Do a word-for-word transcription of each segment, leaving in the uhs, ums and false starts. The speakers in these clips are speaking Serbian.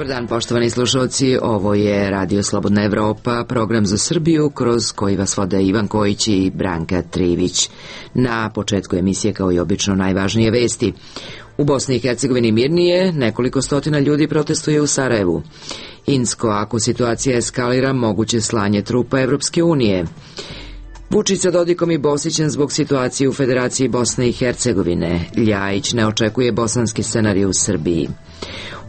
Dobar dan, poštovani slušalci, ovo je Radio Slobodna Evropa, program za Srbiju kroz koji vas vode Ivan Kojić i Branka Trivić. Na početku emisije, kao i obično, najvažnije vesti. U Bosni i Hercegovini mirnije, nekoliko stotina ljudi protestuje u Sarajevu. Insko, ako situacija eskalira, moguće slanje trupa Evropske unije. Vučić sa Dodikom i Bosićem zbog situacije u Federaciji Bosne i Hercegovine. Ljajić ne očekuje bosanski scenarij u Srbiji.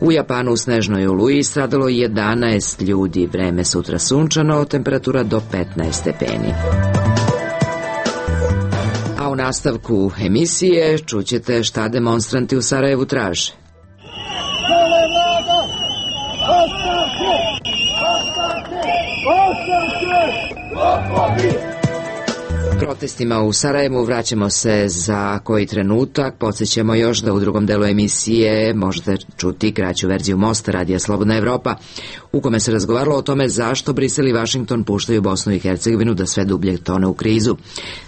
U Japanu u snežnoj oluji stradalo jedanaest ljudi, vreme sutra sunčano, temperatura do petnaest stepeni. A u nastavku emisije čućete šta demonstranti u Sarajevu traže. Protestima u Sarajevu vraćamo se za koji trenutak. Podsjećamo još da u drugom delu emisije možete čuti kraću verziju Mosta Radija Slobodna Evropa, u kome se razgovaralo o tome zašto Brisel i Vašington puštaju Bosnu i Hercegovinu da sve dublje tone u krizu.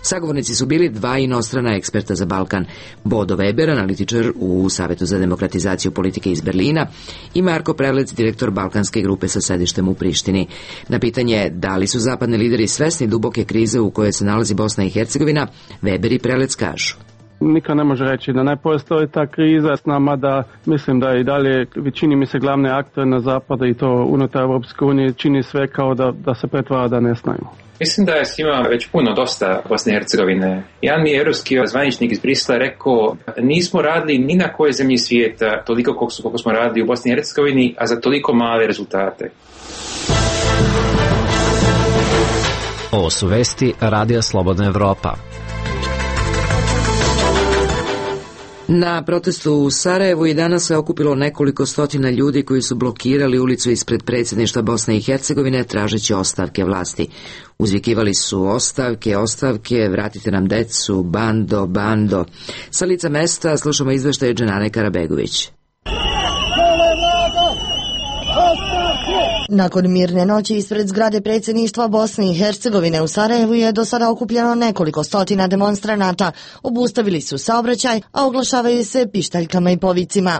Sagovornici su bili dva inostrana eksperta za Balkan, Bodo Weber, analitičar u Savetu za demokratizaciju politike iz Berlina, i Marko Prelec, direktor balkanske grupe sa sedištem u Prištini. Na pitanje da li su zapadni lideri svesni duboke krize u kojoj se nalazi Bosna i Hercegovina, Weber i Prelec kažu. Niko ne može reći da ne postoji ta kriza s nama, da mislim da i dalje većini mi se glavne aktere na zapadu i to unutar Evropske unije čini sve kao da, da se pretvara da ne znaju. Mislim da je svima već puno dosta Bosne i Hercegovine. Jedan mi je evropski zvaničnik iz Brisela rekao, nismo radili ni na kojoj zemlji svijeta toliko koliko, koliko smo radili u Bosni i Hercegovini, a za toliko male rezultate. Ovo su vesti Radija Slobodna Evropa. Na protestu u Sarajevu i danas se okupilo nekoliko stotina ljudi koji su blokirali ulicu ispred predsjedništva Bosne i Hercegovine tražeći ostavke vlasti. Uzvikivali su ostavke, ostavke, vratite nam decu, bando, bando. Sa lica mesta slušamo izveštaj Dženane Karabegović. Nakon mirne noći ispred zgrade predsjedništva Bosne i Hercegovine u Sarajevu je do sada okupljeno nekoliko stotina demonstranata. Obustavili su saobraćaj, a oglašavaju se pištaljkama i povicima.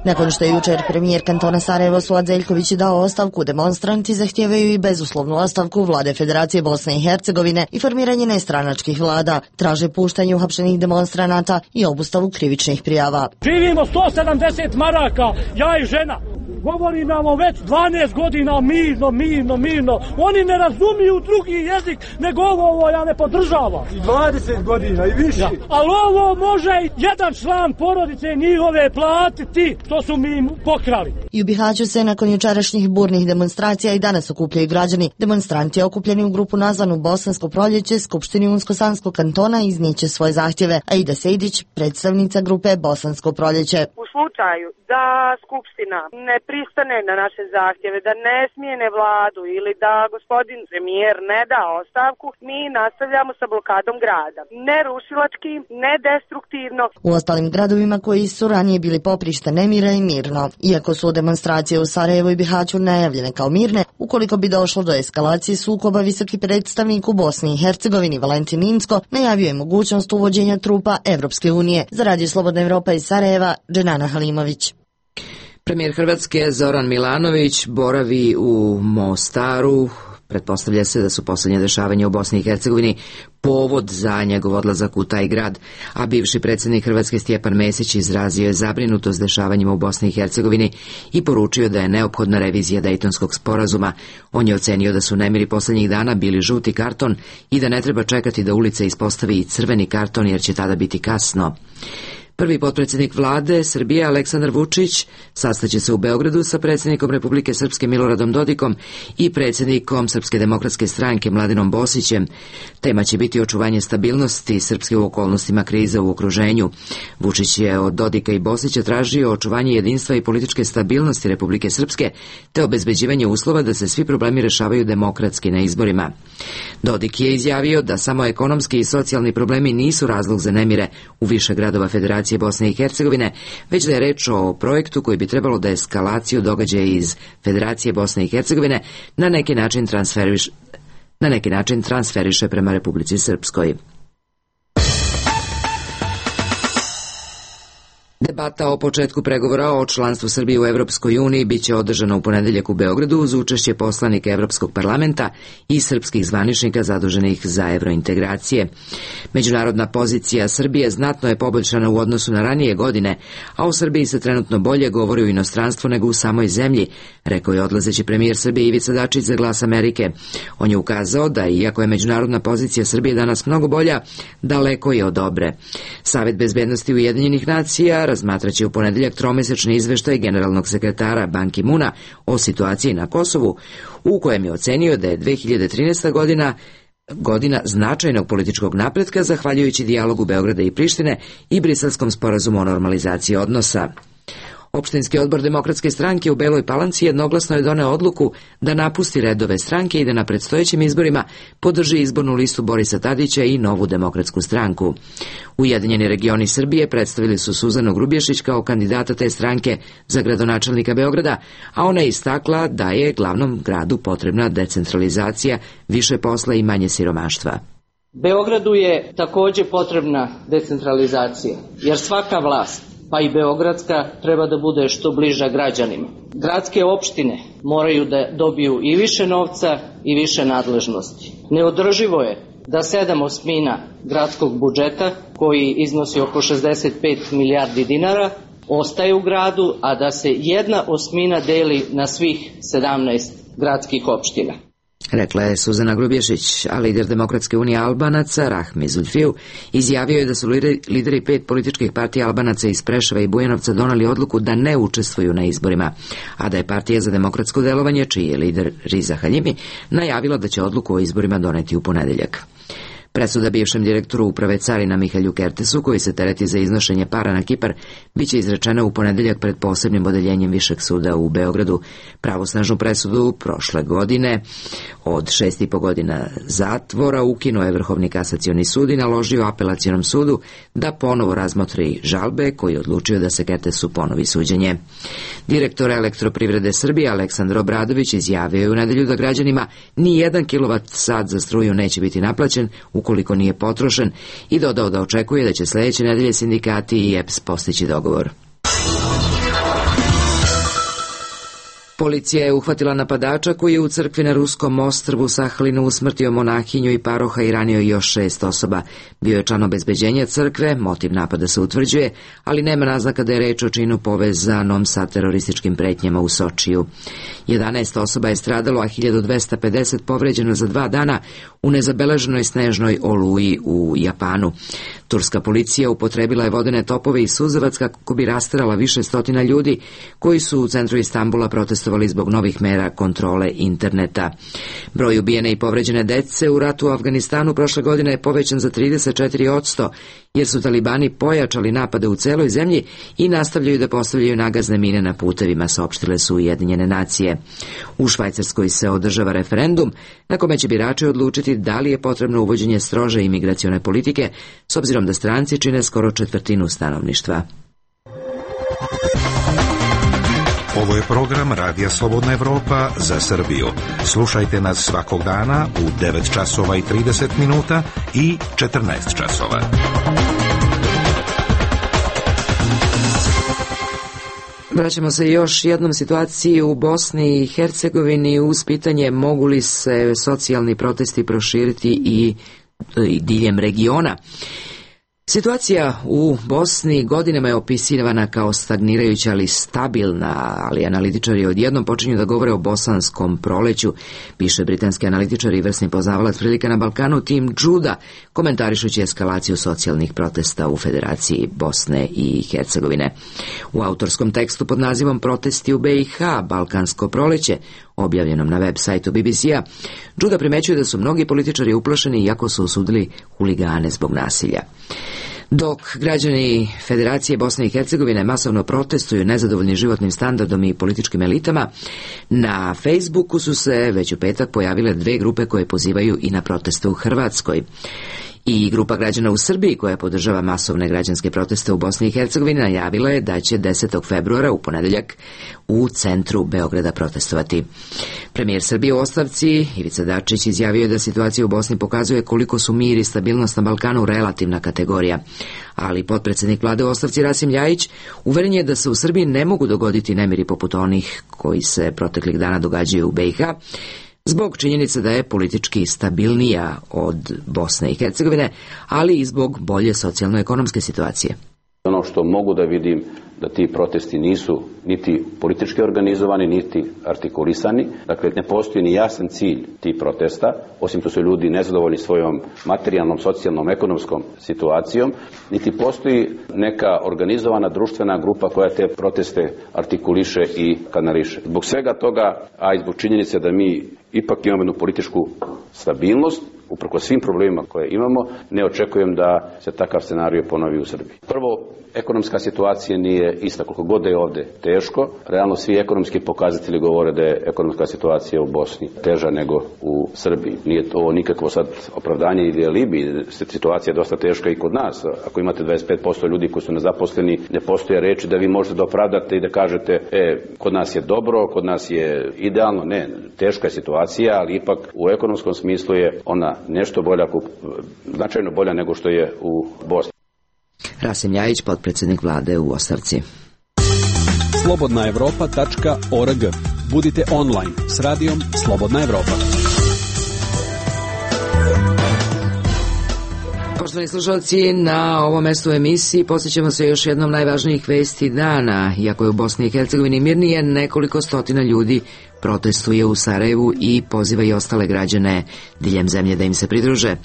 Nakon što je jučer premijer kantona Sarajevo Suad Zeljković dao ostavku, demonstranti zahtijevaju i bezuslovnu ostavku vlade Federacije Bosne i Hercegovine i formiranje nestranačkih vlada. Traže puštanje uhapšenih demonstranata i obustavu krivičnih prijava. Živimo sto sedamdeset maraka, ja i žena. Govori nam već dvanaest godina mirno, mirno, mirno. Oni ne razumiju drugi jezik, nego ovo ja ne podržavam. dvadeset godina i više. Ja. Ali ovo može jedan član porodice njihove platiti, što su mi pokrali. I u Bihaću se nakon jučerašnjih burnih demonstracija i danas okupljaju građani. Demonstranti okupljeni u grupu nazvanu Bosansko proljeće Skupštini Unsko-Sanskog kantona iznijeće svoje zahtjeve, a Ida Sejdić, predstavnica grupe Bosansko proljeće. U slučaju da Skupština ne pristane na naše zahtjeve, da ne smijene vladu ili da gospodin premijer ne da ostavku, mi nastavljamo sa blokadom grada. Ne rušilački, ne destruktivno. U ostalim gradovima koji su ranije bili poprište nemira i mirno. Iako su demonstracije u Sarajevu i Bihaću najavljene kao mirne, ukoliko bi došlo do eskalacije sukoba, visoki predstavnik u Bosni i Hercegovini Valentin Inzko najavio je mogućnost uvođenja trupa Evropske unije. Za Radio Slobodna Evropa iz Sarajeva, Dženana Halimović. Premijer Hrvatske Zoran Milanović boravi u Mostaru. Pretpostavlja se da su posljednje dešavanja u Bosni i Hercegovini povod za njegov odlazak u taj grad, a bivši predsjednik Hrvatske Stjepan Mesić izrazio je zabrinutost dešavanjima u Bosni i Hercegovini i poručio da je neophodna revizija Dejtonskog sporazuma. On je ocenio da su nemiri posljednjih dana bili žuti karton i da ne treba čekati da ulica ispostavi i crveni karton jer će tada biti kasno. Prvi potpredsjednik vlade Srbije Aleksandar Vučić sastaće se u Beogradu sa predsjednikom Republike Srpske Miloradom Dodikom i predsjednikom Srpske demokratske stranke Mladinom Bosićem. Tema će biti očuvanje stabilnosti Srpske u okolnostima krize u okruženju. Vučić je od Dodika i Bosića tražio očuvanje jedinstva i političke stabilnosti Republike Srpske te obezbeđivanje uslova da se svi problemi rešavaju demokratski na izborima. Dodik je izjavio da samo ekonomski i socijalni problemi nisu razlog za nemire u više gradova Federacije Bosne i Hercegovine, već da je reč o projektu koji bi trebalo da eskalaciju događaja iz Federacije Bosne i Hercegovine na neki način transferiš, na neki način transferiše prema Republici Srpskoj. Debata o početku pregovora o članstvu Srbije u Evropskoj uniji biće održana u ponedeljak u Beogradu uz učešće poslanika Evropskog parlamenta i srpskih zvaničnika zaduženih za evrointegracije. Međunarodna pozicija Srbije znatno je poboljšana u odnosu na ranije godine, a u Srbiji se trenutno bolje govori u inostranstvu nego u samoj zemlji, rekao je odlazeći premijer Srbije Ivica Dačić za Glas Amerike. On je ukazao da, iako je međunarodna pozicija Srbije danas mnogo bolja, daleko je od dobre. Savet bezbednosti Ujedinjenih nacija razmatraće u ponedeljak tromesečni izveštaj generalnog sekretara Ban Ki-muna o situaciji na Kosovu, u kojem je ocenio da je dve hiljade trinaesta. godina godina značajnog političkog napretka zahvaljujući dijalogu Beograda i Prištine i Briselskom sporazumu o normalizaciji odnosa. Opštinski odbor Demokratske stranke u Beloj Palanci jednoglasno je doneo odluku da napusti redove stranke i da na predstojećim izborima podrži izbornu listu Borisa Tadića i Novu demokratsku stranku. Ujedinjeni regioni Srbije predstavili su Suzanu Grubješić kao kandidata te stranke za gradonačelnika Beograda, a ona je istakla da je glavnom gradu potrebna decentralizacija, više posla i manje siromaštva. Beogradu je također potrebna decentralizacija, jer svaka vlast, pa i beogradska, treba da bude što bliža građanima. Gradske opštine moraju da dobiju i više novca i više nadležnosti. Neodrživo je da sedam osmina gradskog budžeta, koji iznosi oko šezdeset pet milijardi dinara, ostaje u gradu, a da se jedna osmina deli na svih sedamnaest gradskih opština. Rekla je Suzana Grubješić, a lider Demokratske unije Albanaca, Rahmi Zulfiju, izjavio je da su lideri pet političkih partija Albanaca iz Preševa i Bujanovca doneli odluku da ne učestvuju na izborima, a da je Partija za demokratsko delovanje, čiji je lider Riza Haljimi, najavila da će odluku o izborima doneti u ponedeljak. Presuda bivšem direktoru uprave carina Mihalju Kertesu, koji se tereti za iznošenje para na Kipar, biće izrečena u ponedeljak pred posebnim odeljenjem Višeg suda u Beogradu. Pravosnažnu presudu prošle godine od šest i po godina zatvora ukinuo je Vrhovni kasacioni sud i naložio apelacionom sudu da ponovo razmotri žalbe, koji je odlučio da se Kertesu ponovi suđenje. Direktor Elektroprivrede Srbije Aleksandar Obradović izjavio je u nedelju da građanima ni jedan kilovat sat za struju neće biti naplaćen ukoliko nije potrošen i dodao da očekuje da će sledeće nedelje sindikati i E P S postići dogovor. Policija je uhvatila napadača koji je u crkvi na ruskom ostrvu Sahalinu usmrtio monahinju i paroha i ranio još šest osoba. Bio je član obezbeđenja crkve, motiv napada se utvrđuje, ali nema naznaka da je reč o činu povezanom sa terorističkim pretnjama u Sočiju. jedanaest osoba je stradalo, a hiljadu dvesta pedeset povređeno za dva dana u nezabeleženoj snežnoj oluji u Japanu. Turska policija upotrebila je vodene topove i suzavac kako bi rasterala više stotina ljudi koji su u centru Istanbula protestovali zbog novih mera kontrole interneta. Broj ubijene i povređene dece u ratu u Afganistanu prošle godine je povećan za trideset četiri posto, jer su talibani pojačali napade u celoj zemlji i nastavljaju da postavljaju nagazne mine na putevima, saopštile su Ujedinjene nacije. U Švajcarskoj se održava referendum na kome će birači odlučiti da li je potrebno uvođenje strože imigracione politike, s obzirom da stranci čine skoro četvrtinu stanovništva. Ovo je program Radija Slobodna Evropa za Srbiju. Slušajte nas svakog dana u devet časova i trideset minuta i četrnaest časova. Vraćamo se još jednom situaciji u Bosni i Hercegovini uz pitanje mogu li se socijalni protesti proširiti i, i diljem regiona. Situacija u Bosni godinama je opisivana kao stagnirajuća, ali stabilna, ali analitičari odjednom počinju da govore o bosanskom proleću, piše britanski analitičar i vrsni poznavalac prilika na Balkanu Tim Juda, komentarišući eskalaciju socijalnih protesta u Federaciji Bosne i Hercegovine. U autorskom tekstu pod nazivom Protesti u B i H, Balkansko proleće, objavljenom na web sajtu B B C-a, Juda primećuje da su mnogi političari uplašeni iako su osudili huligane zbog nasilja. Dok građani Federacije Bosne i Hercegovine masovno protestuju nezadovoljni životnim standardom i političkim elitama, na Facebooku su se već u petak pojavile dve grupe koje pozivaju i na proteste u Hrvatskoj. I grupa građana u Srbiji koja podržava masovne građanske proteste u Bosni i Hercegovini najavila je da će desetog februara u ponedeljak u centru Beograda protestovati. Premijer Srbije u ostavci Ivica Dačić izjavio je da situacija u Bosni pokazuje koliko su mir i stabilnost na Balkanu relativna kategorija, ali potpredsednik vlade u ostavci Rasim Ljajić uveren je da se u Srbiji ne mogu dogoditi nemiri poput onih koji se proteklih dana događaju u B i H, zbog činjenice da je politički stabilnija od Bosne i Hercegovine, ali i zbog bolje socijalno-ekonomske situacije. Ono što mogu da vidim da ti protesti nisu niti politički organizovani, niti artikulisani. Dakle, ne postoji ni jasan cilj tih protesta, osim što su ljudi nezadovoljni svojom materijalnom, socijalnom, ekonomskom situacijom, niti postoji neka organizovana društvena grupa koja te proteste artikuliše i kanališe. Zbog svega toga, a i zbog činjenice da mi ipak imamo jednu političku stabilnost, uprkos svim problemima koje imamo, ne očekujem da se takav scenario ponovi u Srbiji. Prvo, ekonomska situacija nije ista, koliko god je ovde teško. Realno svi ekonomski pokazatelji govore da je ekonomska situacija u Bosni teža nego u Srbiji. Nije to nikakvo sad opravdanje ili alibi, situacija je dosta teška i kod nas. Ako imate dvadeset pet posto ljudi koji su nezaposleni, ne postoje reči da vi možete da opravdate i da kažete, e, kod nas je dobro, kod nas je idealno. Ne, teška je situacija, ali ipak u ekonomskom smislu je ona nešto bolja, značajno bolja nego što je u Bosni. Rasim Ljajić, potpredsjednik vlade u ostavci. slobodna evropa tačka org. Budite online s radijom Slobodna Evropa. Poštovani slušalci, na ovom mestu emisiji posjećamo se još jednom najvažnijih vesti dana. Iako je u Bosni i Hercegovini mirnije, nekoliko stotina ljudi protestuje u Sarajevu i poziva i ostale građane diljem zemlje da im se pridruže.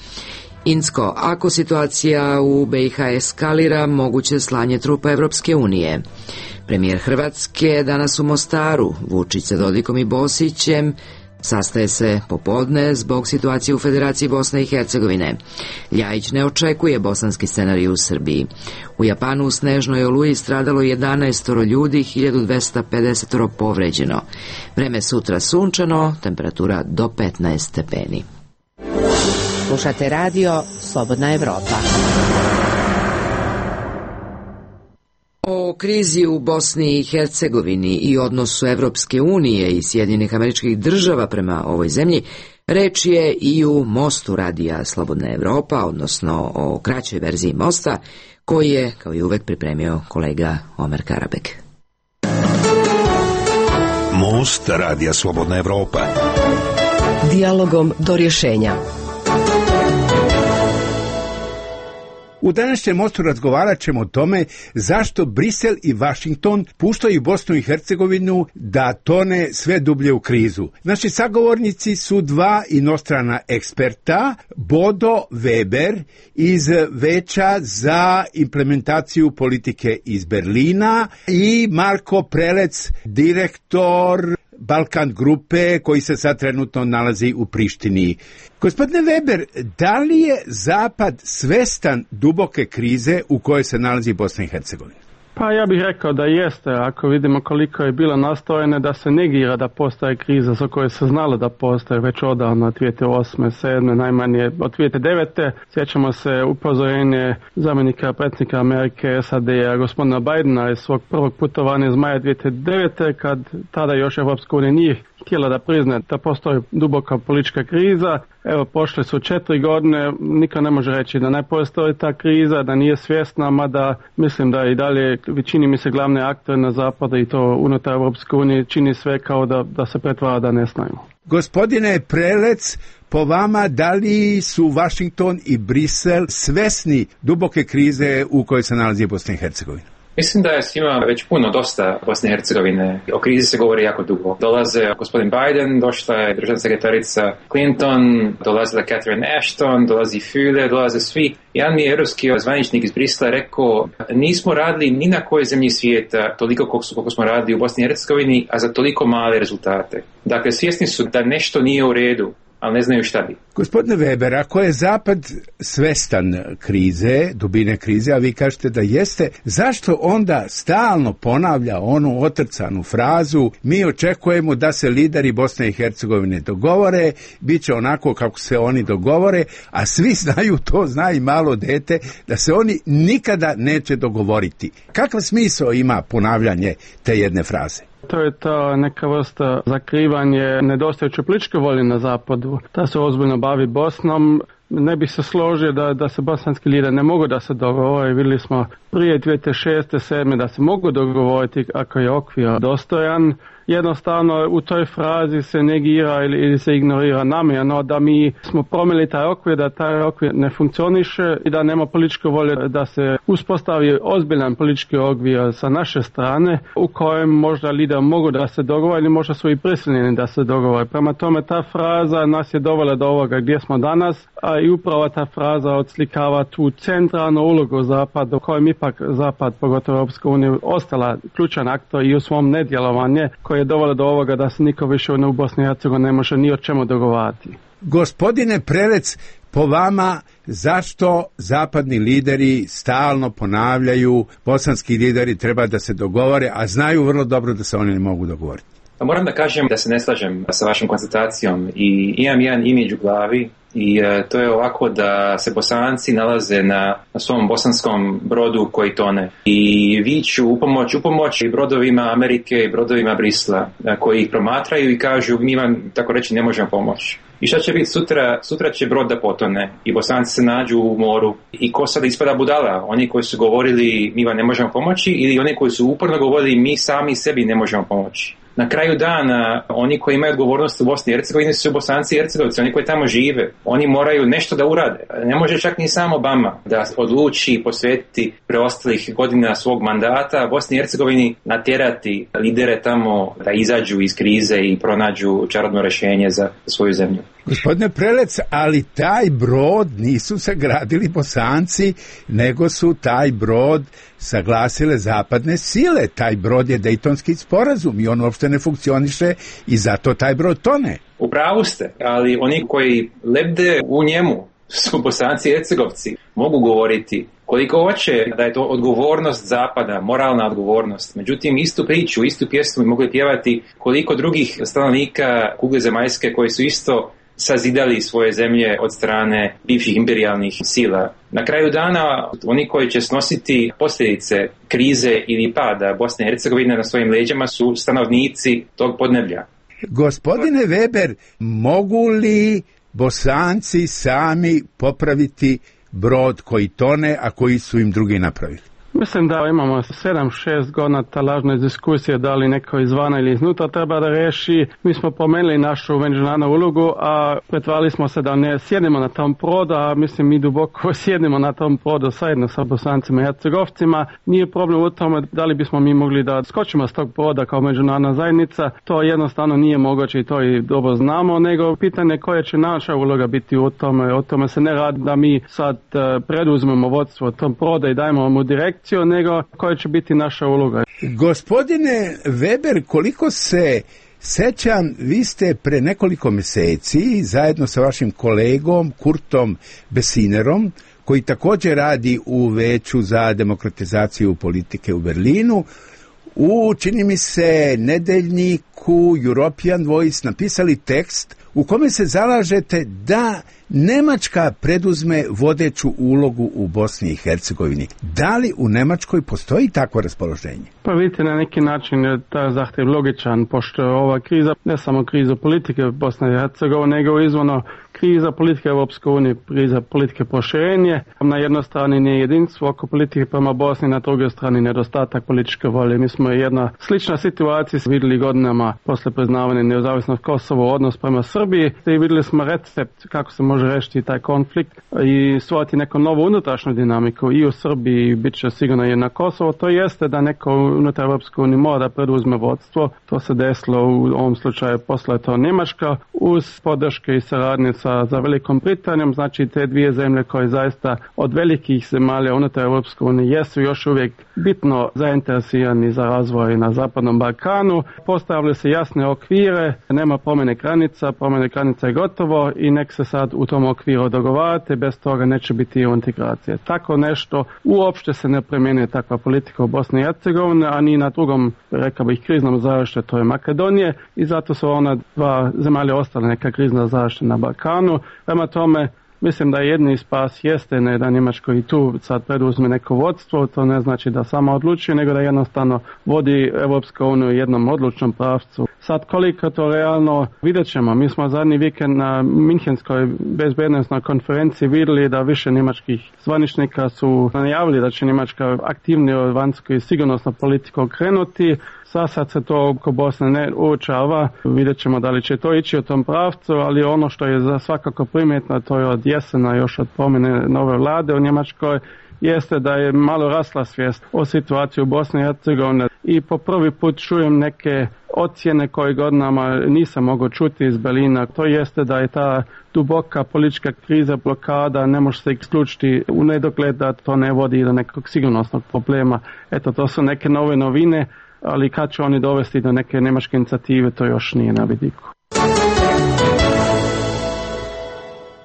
Insko, ako situacija u B i H eskalira, moguće slanje trupa Evropske unije. Premijer Hrvatske danas u Mostaru, Vučić sa Dodikom i Bosićem, sastaje se popodne zbog situacije u Federaciji Bosne i Hercegovine. Ljajić ne očekuje bosanski scenarij u Srbiji. U Japanu u snežnoj oluji stradalo jedanaest ljudi, hiljadu dvesta pedeset povređeno. Vreme sutra sunčano, temperatura do petnaest stepeni. Slušate radio Slobodna Evropa. O krizi u Bosni i Hercegovini i odnosu Evropske unije i Sjedinjenih Američkih Država prema ovoj zemlji reč je i u Mostu radija Slobodna Evropa, odnosno o kraćoj verziji Mosta, koji je, kao i uvek, pripremio kolega Omer Karabek. Most radija Slobodna Evropa. Dijalogom do rješenja. U današnjem mostu razgovarat ćemo o tome zašto Brisel i Vašington puštaju Bosnu i Hercegovinu da tone sve dublje u krizu. Naši sagovornici su dva inostrana eksperta, Bodo Weber iz Veća za implementaciju politike iz Berlina i Marko Prelec, direktor Balkan grupe koji se sad trenutno nalazi u Prištini. Gospodine Weber, da li je Zapad svestan duboke krize u kojoj se nalazi Bosna i Hercegovina? Pa ja bih rekao da jeste, ako vidimo koliko je bilo nastojene da se negira da postoje kriza za koje se znalo da postoje već odavno od dvije tisuće osme, sedme, najmanje od dvije tisuće devete. Sjećamo se upozorenje zamjenika predsjednika Amerike S A D-a gospodina Bidena iz svog prvog putovanja iz maja dvije tisuće devete, kad tada još Evropska unija nije htjela da prizna da postoji duboka politička kriza. Evo, prošle su četiri godine, niko ne može reći da ne postoji ta kriza, da nije svjesna, mada mislim da i dalje većini mi se glavne aktere na zapadu i to unutar Evropske unije čini sve kao da, da se pretvara da ne znaju. Gospodine Prelec, po vama, da li su Washington i Brisel svesni duboke krize u kojoj se nalazi Bosna i Hercegovina? Mislim da je svima već puno dosta Bosne i Hercegovine. O krizi se govori jako dugo. Dolaze gospodin Biden, došla je državna sekretarica Clinton, dolazila Catherine Ashton, dolazi Füle, dolaze svi. Jedan mi je europski zvaničnik iz Brisla rekao, nismo radili ni na kojoj zemlji svijeta toliko koliko, koliko smo radili u Bosni i Hercegovini, a za toliko male rezultate. Dakle, svjesni su da nešto nije u redu. ali ne znaju šta bi. Gospodine Weber, ako je Zapad svestan krize, dubine krize, a vi kažete da jeste, zašto onda stalno ponavlja onu otrcanu frazu mi očekujemo da se lideri Bosne i Hercegovine dogovore, bit će onako kako se oni dogovore, a svi znaju, to zna i malo dete, da se oni nikada neće dogovoriti. Kakav smisao ima ponavljanje te jedne fraze? To je ta neka vrsta zakrivanje nedostajuće političke volje na zapadu, da se ozbiljno bavi Bosnom. Ne bi se složio da, da se bosanski lideri ne mogu da se dogovore. Vidjeli smo prije dvije tisuće šeste sedme da se mogu dogovoriti ako je okvir dostojan. Jednostavno u toj frazi se negira ili, ili se ignorira namjerno da mi smo promjeli taj okvir, da taj okvir ne funkcioniše i da nema političke volje da se uspostavi ozbiljan politički okvir sa naše strane u kojem možda lideri mogu da se dogovore ili možda su i prisiljeni da se dogovore. Prema tome ta fraza nas je dovela do ovoga gdje smo danas, a i upravo ta fraza odslikava tu centralnu ulogu Zapada u kojem ipak Zapad, pogotovo Europska unija, ostala ključan aktor i u svom nedjelovanju koje je dovelo do ovoga da se niko više u Bosni i Hercegovini ne može ni o čemu dogovarati. Gospodine Prelec, po vama zašto zapadni lideri stalno ponavljaju bosanski lideri treba da se dogovore, a znaju vrlo dobro da se oni ne mogu dogovoriti? Pa moram da kažem da se ne slažem sa vašom konstatacijom i imam jedan imidž u glavi i uh, to je ovako da se Bosanci nalaze na, na svom bosanskom brodu koji tone i viču u pomoć, u pomoć i brodovima Amerike i brodovima Brisla uh, koji ih promatraju i kažu mi vam tako reći ne možemo pomoći. I šta će biti sutra? Sutra će brod da potone i Bosanci se nađu u moru i ko sada ispada budala? Oni koji su govorili mi vam ne možemo pomoći ili oni koji su uporno govorili mi sami sebi ne možemo pomoći? Na kraju dana, oni koji imaju odgovornost u Bosni i Hercegovini su Bosanci i Hercegovci, oni koji tamo žive. Oni moraju nešto da urade. Ne može čak ni sam Obama da odluči posvetiti preostalih godina svog mandata Bosni i Hercegovini, natjerati lidere tamo da izađu iz krize i pronađu čarobno rješenje za svoju zemlju. Gospodine Prelec, ali taj brod nisu sagradili Bosanci, nego su taj brod saglasile zapadne sile. Taj brod je Dejtonski sporazum i on uopšte ne funkcioniše i zato taj brod tone. U pravu ste, ali oni koji lebde u njemu su Bosanci i Hercegovci. Mogu govoriti koliko hoće da je to odgovornost Zapada, moralna odgovornost. Međutim, istu priču, istu pjesmu mogu pjevati koliko drugih stanovnika kugle zemaljske koji su isto sazidali svoje zemlje od strane bivših imperijalnih sila. Na kraju dana, oni koji će snositi posljedice krize ili pada Bosne i Hercegovine na svojim leđima su stanovnici tog podneblja. Gospodine Weber, mogu li Bosanci sami popraviti brod koji tone, a koji su im drugi napravili? Mislim da imamo sedam šest godina ta lažna diskusija da li neko izvana ili iznutra treba da reši. Mi smo pomenuli našu međunarodnu ulogu, a pretvarali smo se da ne sjedimo na tom brodu, a mislim mi duboko sjedimo na tom brodu zajedno sa Bosancima i Hercegovcima. Nije problem u tome da li bismo mi mogli da skočimo s tog broda kao međunarodna zajednica. To jednostavno nije moguće i to i dobro znamo, nego pitanje koja će naša uloga biti u tome. O tome se ne radi da mi sad preduzmemo vodstvo tom broda i dajemo mu direkt, nego koja će biti naša uloga. Gospodine Weber, koliko se sećam, vi ste pre nekoliko mjeseci zajedno sa vašim kolegom Kurtom Besinerom, koji također radi u Veću za demokratizaciju politike u Berlinu, u, čini mi se, nedeljniku European Voice napisali tekst u kome se zalažete da Nemačka preduzme vodeću ulogu u Bosni i Hercegovini. Da li u Nemačkoj postoji takvo raspoloženje? Pa vidite, na neki način je ta zahtjev logičan, pošto ova kriza, ne samo kriza politike Bosne i Hercegovine, nego izvorno kriza politike Europske unije, kriza politike proširenje. Na jednoj strani nije jedinstvo oko politike prema Bosni, na drugoj strani nedostatak političke volje. Mi smo jedna slična situacija vidjeli godinama posle priznavanja nezavisnosti Kosova, odnos prema Srbiji, i vidjeli smo recept kako se može rešiti taj konflikt i stvoriti neku novu unutrašnju dinamiku i u Srbiji, bit će sigurno i na Kosovo. To jeste da neko unutar Europske unije mora da preduzme vodstvo. To se desilo u ovom slučaju, posle to Njemačka, uz podrške i saradnje sa sa, za Velikom Britanijom, znači te dvije zemlje koje zaista od velikih zemalja unutar Europske unije jesu još uvijek bitno zainteresirani za razvoj na Zapadnom Balkanu. Postavljaju se jasne okvire, nema promjene granica, promjene granica je gotovo i nek se sad u tom okviru dogovarate, bez toga neće biti integracije. Tako nešto uopšte se ne primjenjuje takva politika u Bosni i Hercegovini, a ni na drugom, rekao bih, kriznom završću, to je Makedonije, i zato su ona dva zemalja ostale neka krizna završća na Balkanu. Prema tome, mislim da jedni spas jeste ne da Njemačko i tu sad preduzme neko vodstvo, to ne znači da samo odlučuje, nego da jednostavno vodi Europsku uniju u jednom odlučnom pravcu. Sad koliko to realno, vidjet ćemo. Mi smo zadnji vikend na Minhenskoj bezbednosnoj konferenciji vidjeli da više njemačkih zvaničnika su najavili da će Njemačka aktivnije u vanjsku i sigurnosnu politiku krenuti. Sad se to oko Bosne ne uočava, vidjet ćemo da li će to ići u tom pravcu, ali ono što je za svakako primjetno, to je od jesena još od promjene nove vlade u Njemačkoj, jeste da je malo rasla svijest o situaciji u Bosni i Hercegovini i po prvi put čujem neke ocjene koje godinama nisam mogao čuti iz Berlina. To jeste da je ta duboka politička kriza, blokada, ne može se isključiti u nedogled da to ne vodi do nekog sigurnosnog problema. Eto, to su neke nove novine, ali kad će oni dovesti do neke njemačke inicijative, to još nije na vidiku.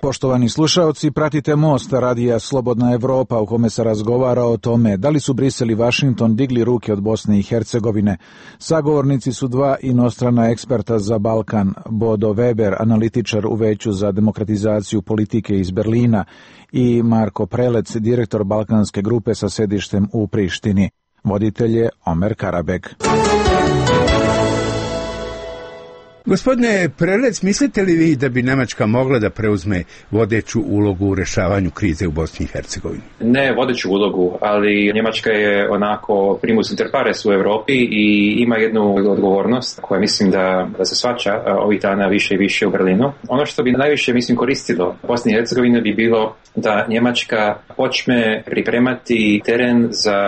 Poštovani slušaoci, pratite Most radija Slobodna Evropa u kome se razgovara o tome da li su Brisel i Washington digli ruke od Bosne i Hercegovine. Sagovornici su dva inostrana eksperta za Balkan, Bodo Weber, analitičar u Veću za demokratizaciju politike iz Berlina, i Marko Prelec, direktor Balkanske grupe sa sedištem u Prištini. Voditelj je Omer Karabek. Gospodine Prelec, mislite li vi da bi Njemačka mogla da preuzme vodeću ulogu u rešavanju krize u Bosni i Hercegovini? Ne vodeću ulogu, ali Njemačka je onako primus inter pares u Europi i ima jednu odgovornost koja mislim da, da se svača ovih dana više i više u Berlinu. Ono što bi najviše mislim koristilo Bosni i Hercegovini bi bilo da Njemačka počne pripremati teren za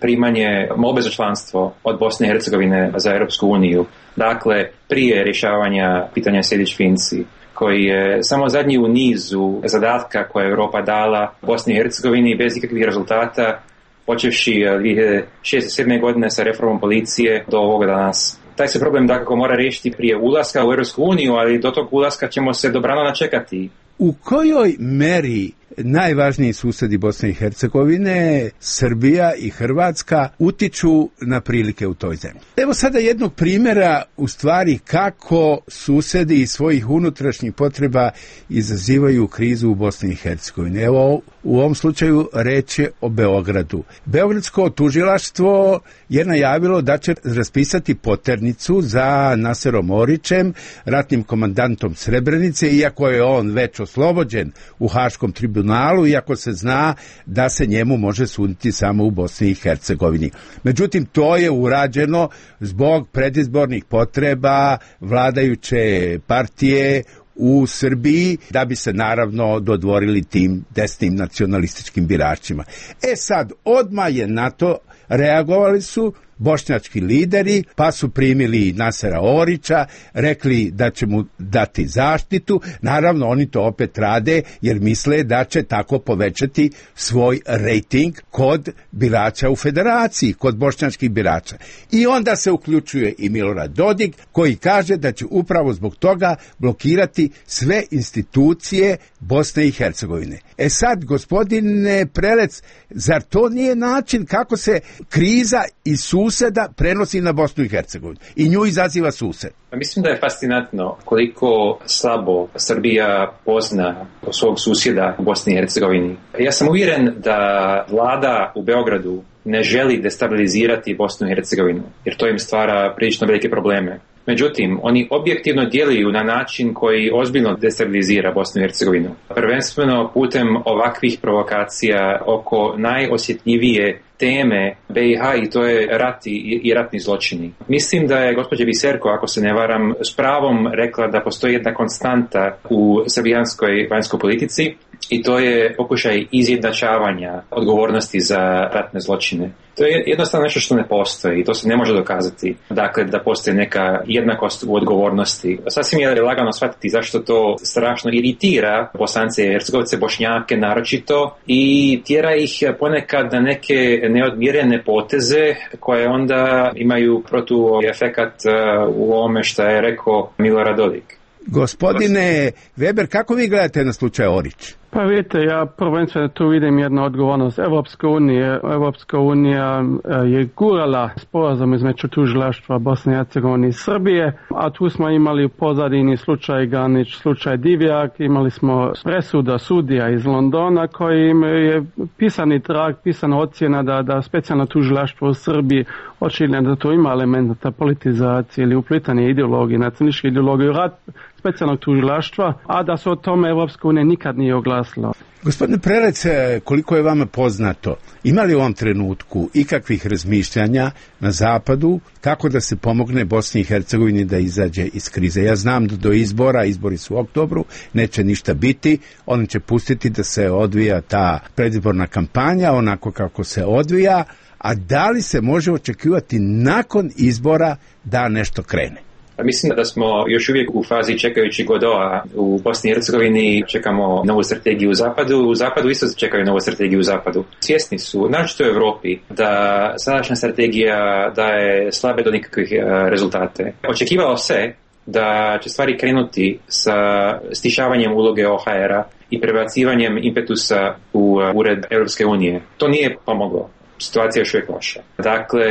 primanje molbe za članstvo od Bosne i Hercegovine za Europsku uniju. Dakle, prije rješavanja pitanja Sejdić-Finci, koji je samo zadnji u nizu zadatka koje je Europa dala Bosni i Hercegovini bez ikakvih rezultata, počevši dvije hiljade šeste sedme godine sa reformom policije do ovoga danas. Taj se problem dakako mora riješiti prije ulaska u Europsku uniju, ali do tog ulaska ćemo se dobrano načekati. U kojoj meri najvažniji susjedi Bosne i Hercegovine, Srbija i Hrvatska, utiču na prilike u toj zemlji? Evo sada jednog primjera u stvari kako susjedi iz svojih unutrašnjih potreba izazivaju krizu u Bosni i Hercegovini. Evo u ovom slučaju reč je o Beogradu. Beogradsko tužilaštvo je najavilo da će raspisati poternicu za Naserom Orićem, ratnim komandantom Srebrenice, iako je on već oslobođen u Haškom tribunalu, iako se zna da se njemu može suditi samo u Bosni i Hercegovini. Međutim, to je urađeno zbog predizbornih potreba vladajuće partije u Srbiji, da bi se naravno dodvorili tim desnim nacionalističkim biračima. E sad, odmah je na to reagovali su bošnjački lideri, pa su primili Nasera Orića, rekli da će mu dati zaštitu. Naravno, oni to opet rade jer misle da će tako povećati svoj rejting kod birača u federaciji, kod bošnjačkih birača. I onda se uključuje i Milorad Dodik, koji kaže da će upravo zbog toga blokirati sve institucije Bosne i Hercegovine. E sad, gospodine Prelec, zar to nije način kako se kriza i suseda prenosi na Bosnu i Hercegovinu i nju izaziva sused? Mislim da je fascinantno koliko slabo Srbija pozna svog susjeda u Bosni i Hercegovini. Ja sam uvjeren da vlada u Beogradu ne želi destabilizirati Bosnu i Hercegovinu, jer to im stvara prilično velike probleme. Međutim, oni objektivno djeluju na način koji ozbiljno destabilizira Bosnu i Hercegovinu. Prvenstveno putem ovakvih provokacija oko najosjetljivije teme be i ha, i to je rat i, i ratni zločini. Mislim da je gospođa Biserko, ako se ne varam, s pravom rekla da postoji jedna konstanta u srbijanskoj vanjskoj politici, i to je pokušaj izjednačavanja odgovornosti za ratne zločine. To je jednostavno nešto što ne postoji i to se ne može dokazati. Dakle, da postoji neka jednakost u odgovornosti. Sasvim je lagano shvatiti zašto to strašno iritira Bosance i Hercegovce, Bošnjake naročito, i tjera ih ponekad na neke neodmjerene poteze koje onda imaju protuefekat u ovome što je rekao Milorad Dodik. Gospodine Weber, kako vi gledate na slučaj Orić? Pa vidite, ja prvenstveno tu vidim jednu odgovornost Evropske unije. Evropska unija je gurala sporazum između tužilaštva Bosne i Hercegovine i Srbije, a tu smo imali u pozadini slučaj Ganić, slučaj Divjak, imali smo presuda sudija iz Londona koji je pisani trag, pisana ocjena da, da specijalno tužilaštvo u Srbiji očigledno da to ima elementa politizacije ili uplitanje ideologije, nacionalističke ideologije, rad specijalnog tužilaštva, a da se o tome Evropska unija nikad nije oglasila. Gospodine Prelec, koliko je vama poznato, ima li u ovom trenutku ikakvih razmišljanja na zapadu kako da se pomogne Bosni i Hercegovini da izađe iz krize? Ja znam da do izbora, izbori su u oktobru, neće ništa biti, oni će pustiti da se odvija ta predizborna kampanja onako kako se odvija, a da li se može očekivati nakon izbora da nešto krene? Mislim da smo još uvijek u fazi čekajući Godoa. U Bosni i Hercegovini čekamo novu strategiju u Zapadu, u Zapadu isto čekaju novu strategiju u Zapadu. Svjesni su, naročito u Europi, da sadašnja strategija daje slabe do nikakvih rezultate. Očekivalo se da će stvari krenuti sa stišavanjem uloge O H R-a i prebacivanjem impetusa u ured Europske unije. To nije pomoglo. Situacija je još uvijek loša. Dakle,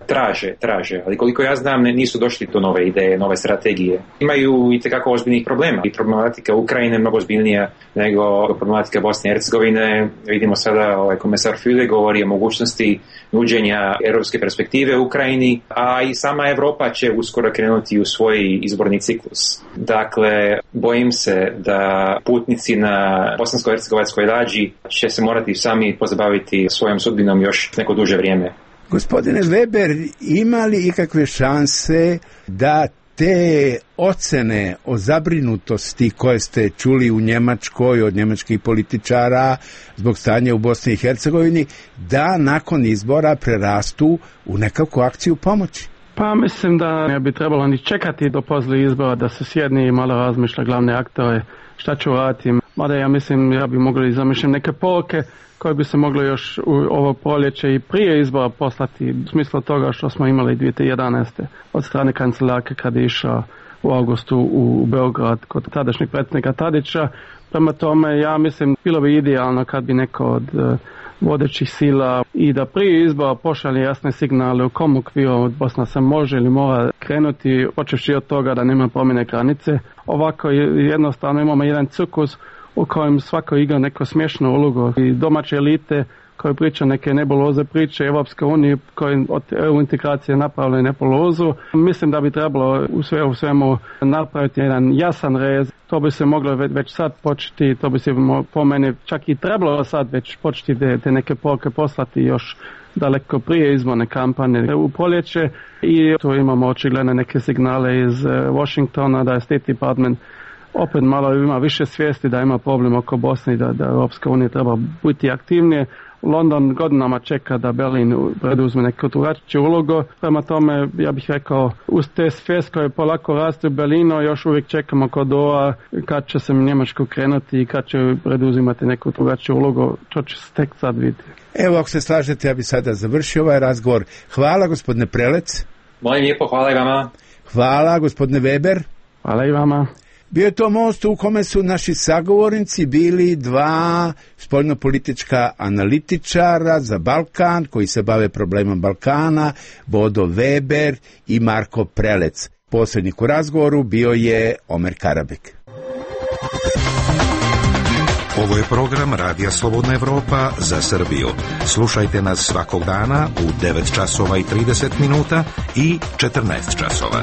traže, traže, ali koliko ja znam nisu došli do nove ideje, nove strategije. Imaju i tekako ozbiljnih problema. I problematika Ukrajine je mnogo ozbiljnija nego problematika Bosne i Hercegovine. Vidimo sada, ovaj komesar Füle govori o mogućnosti nuđenja europske perspektive u Ukrajini, a i sama Europa će uskoro krenuti u svoj izborni ciklus. Dakle, bojim se da putnici na bosansko-hercegovačkoj lađi će se morati sami pozabaviti svojom sudbinom još neko duže vrijeme. Gospodine Weber, ima li ikakve šanse da te ocene o zabrinutosti koje ste čuli u Njemačkoj od njemačkih političara zbog stanja u Bosni i Hercegovini, da nakon izbora prerastu u nekakvu akciju pomoći? Pa mislim da ne bi trebalo ni čekati do poslije izbora da se sjedni i malo razmišlja glavne aktore šta ću raditi. Mada ja mislim, ja bi mogli zamišljati neke poruke koje bi se moglo još u ovo proljeće i prije izbora poslati, u smislu toga što smo imali dvije tisuće jedanaeste od strane kancelarke kad je išao u augustu u Beograd kod tadašnjeg predsjednika Tadića. Prema tome, ja mislim, bilo bi idealno kad bi neko od uh, vodećih sila i da prije izbora pošalje jasne signale u kom okviru Bosna se može ili mora krenuti, počevši od toga da nema promjene granice. Ovako jednostavno imamo jedan cirkus u kojem svako igra neko smiješnu ulogu i domaće elite koje priča neke nebuloze priče Evropske unije koje od E U integracije napravili nebulozu. Mislim da bi trebalo u sve u svemu napraviti jedan jasan rez. To bi se moglo već sad početi, to bi se po meni čak i trebalo sad već početi te, te neke poruke poslati još daleko prije izborne kampanje u proljeće i tu imamo očigledno neke signale iz Washingtona da je State Department opet malo ima više svijesti da ima problem oko Bosne i da, da Europska unija treba biti aktivnije. London godinama čeka da Berlin preduzme neku drugačiju ulogu. Prema tome, ja bih rekao, uz te svijest koje polako raste u Berlinu, još uvijek čekamo kod ova kad će se Njemačko krenuti i kad će preduzimati neku drugačiju ulogu. To će se tek sad vidjeti. Evo, ako se slažete, ja bih sada završio ovaj razgovor. Hvala, gospodine Prelec. Molim lijepo, hvala i vama. Hvala, gospodine Weber. Hvala i vama. Bio je to most u kome su naši sagovornici bili dva spoljnopolitička analitičara za Balkan koji se bave problemom Balkana, Bodo Weber i Marko Prelec. Posrednik u razgovoru bio je Omer Karabek. Ovo je program Radija Slobodna Evropa za Srbiju. Slušajte nas svakog dana u devet časova i trideset minuta i četrnaest časova.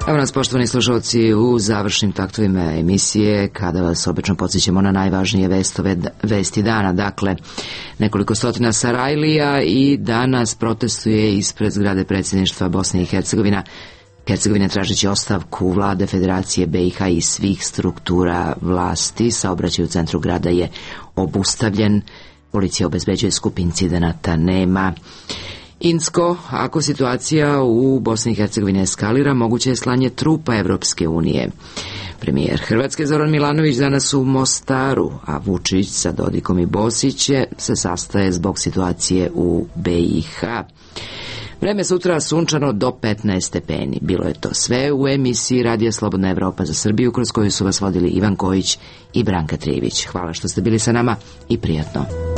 Evo nas, poštovani slušalci, u završnim taktovima emisije, kada vas obično podsjećamo na najvažnije vestove, vesti dana. Dakle, nekoliko stotina Sarajlija i danas protestuje ispred zgrade predsjedništva Bosne i Hercegovina. Hercegovina tražeći ostavku vlade Federacije B i H i svih struktura vlasti. Saobraćaj u centru grada je obustavljen. Policija obezbeđuje skup incidenata nema. Insko, ako situacija u Bosni i Hercegovini eskalira, moguće je slanje trupa Evropske unije. Premijer Hrvatske Zoran Milanović danas u Mostaru, a Vučić sa Dodikom i Bosiće se sastaje zbog situacije u B i H. Vreme sutra sunčano do petnaest stepeni. Bilo je to sve u emisiji Radija Slobodna Evropa za Srbiju, kroz koju su vas vodili Ivan Kojić i Branka Trivić. Hvala što ste bili sa nama i prijatno.